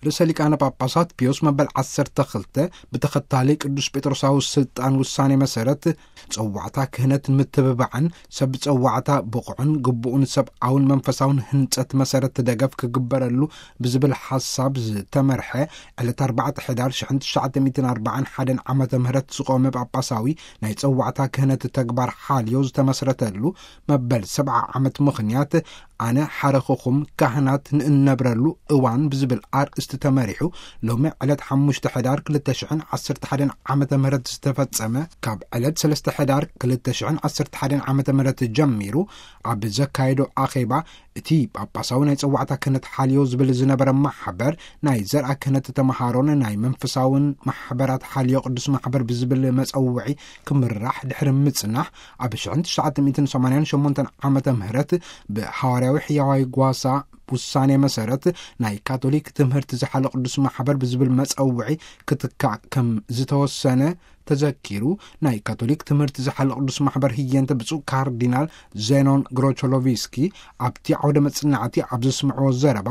ርእሰ ሊቃነ ጳጳሳት ፒዮስ መበል ዓሰርተ ክልተ ብተኸታሊ ቅዱስ ጴጥሮሳዊ ስልጣን ውሳኔ መሰረት፣ ጸዋዕታ ክህነት ምትብባዕን ሰብ ጸዋዕታ ብቑዕን ግቡኡን ሰብኣውን መንፈሳውን ህንጸት መሰረት ደገፍ ክግበረሉ ብዝብል ሓሳብ ዝተመርሐ፣ ዕለት ኣርባዕተ ሕዳር ሽሕን ትሽዓተ ሚእትን ኣርባዓን ሓደን ዓመተ ምህረት ዝቖመ ጳጳሳዊ ናይ ጸዋዕታ ክህነት ተግባር ሓልዮ ዝተመስረተሉ መበል ሰብዓ ዓመት ምኽንያት፣ ኣነ ሓረኹኹም ካህናት ንእነብረሉ እዋን ብዝብል ኣርእስቲ ተመሪሑ፣ ሎሚ ዕለት ሓሙሽተ ሕዳር ክልተ ሽሕን ዓሰርተ ሓደን ዓመተ ምህረት ዝተፈጸመ፣ ካብ ዕለት ሰለስተ ሕዳር ክልተ ሽሕን ዓሰርተ ሓደን ዓመተ ምህረት ጀሚሩ ኣብ ዘካየዶ ኣኼባ፣ እቲ ጳጳሳዊ ናይ ጸዋዕታ ክህነት ሓልዮ ዝብል ዝነበረ ማሕበር፣ ናይ ዘርኣ ክህነት ተመሃሮን ናይ መንፈሳውን ማሕበራት ሓልዮ ቅዱስ ማሕበር ብዝብል መጸውዒ ክምራሕ ድሕሪ ምጽናሕ፣ ኣብ ሽሕን ትሽዓተ ሚእትን ሰማንያን ሸሞንተን ዓመተ ምህረት ብሃዋርያዊ ሕያዋይ ጓሳ ውሳኔ መሰረት፣ ናይ ካቶሊክ ትምህርቲ ዝሓለ ቅዱስ ማሕበር ብዝብል መጸውዒ ክትካእ ከም ዝተወሰነ ተዘኪሩ። ናይ ካቶሊክ ትምህርቲ ዝሓለ ቅዱስ ማሕበር ህየንተ ብፁዕ ካርዲናል ዜኖን ግሮቾሎቪስኪ ኣብቲ ዓውደ መጽናዕቲ ኣብ ዘስምዕዎ ዘረባ፣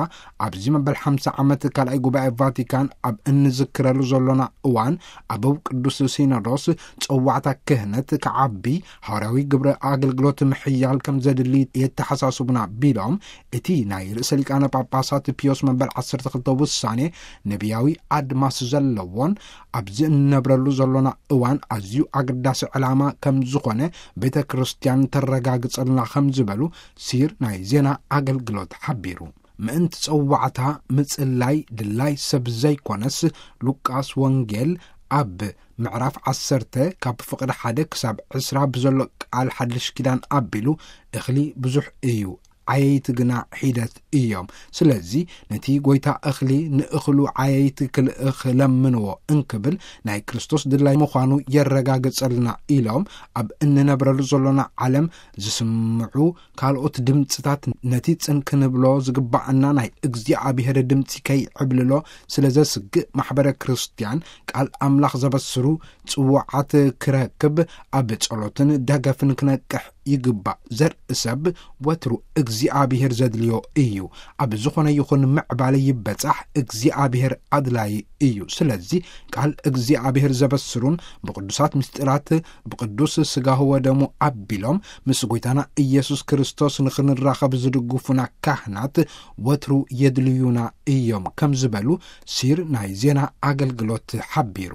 ኣብዚ መበል ሓምሳ ዓመት ካልኣይ ጉባኤ ቫቲካን ኣብ እንዝክረሉ ዘሎና እዋን፣ ኣበው ቅዱስ ሲኖዶስ ጸዋዕታ ክህነት ክዓቢ፣ ሃዋርያዊ ግብረ ኣገልግሎት ምሕያል ከም ዘድሊ የተሓሳስቡና ቢሎም፣ እቲ ናይ ርእሰ ሊቃነ ጳጳሳት ፒዮስ መበል ዓሰርተ ክልተ ውሳኔ ነቢያዊ ኣድማስ ዘለዎን ኣብዚ እንነብረሉ ዘሎና እዋን ኣዝዩ ኣገዳሲ ዕላማ ከም ዝኾነ ቤተ ክርስቲያን ተረጋግጸልና ከም ዝበሉ ሲር ናይ ዜና ኣገልግሎት ሓቢሩ። ምእንቲ ጸዋዕታ ምጽላይ ድላይ ሰብ ዘይኮነስ፣ ሉቃስ ወንጌል ኣብ ምዕራፍ ዓሰርተ ካብ ፍቕዲ ሓደ ክሳብ ዕስራ ብዘሎ ቃል ሓድሽ ኪዳን ኣቢሉ፣ እኽሊ ብዙሕ እዩ፣ ዓየይቲ ግና ሒደት እዮም። ስለዚ ነቲ ጐይታ እኽሊ ንእኽሉ ዓየይቲ ክልእኽ ለምንዎ እንክብል ናይ ክርስቶስ ድላይ ምዃኑ የረጋግጸልና ኢሎም፣ ኣብ እንነብረሉ ዘሎና ዓለም ዝስምዑ ካልኦት ድምጽታት ነቲ ጽን ክንብሎ ዝግባኣና ናይ እግዚኣብሔር ድምጺ ከይዕብልሎ ስለ ዘስግእ፣ ማሕበረ ክርስቲያን ቃል ኣምላኽ ዘበስሩ ጽዋዓት ክረክብ ኣብ ጸሎትን ደገፍን ክነቅሕ ይግባእ። ዘርኢ ሰብ ወትሩ እግዚኣብሔር ዘድልዮ እዩ። ኣብ ዝኾነ ይኹን ምዕባለ ይበጻሕ እግዚኣብሔር ኣድላይ እዩ። ስለዚ ቃል እግዚኣብሔር ዘበስሩን ብቅዱሳት ምስጢራት ብቅዱስ ስጋሁ ወደሙ ኣቢሎም ምስ ጐይታና ኢየሱስ ክርስቶስ ንኽንራኸብ ዝድግፉና ካህናት ወትሩ የድልዩና እዮም ከም ዝበሉ ሲር ናይ ዜና ኣገልግሎት ሓቢሩ።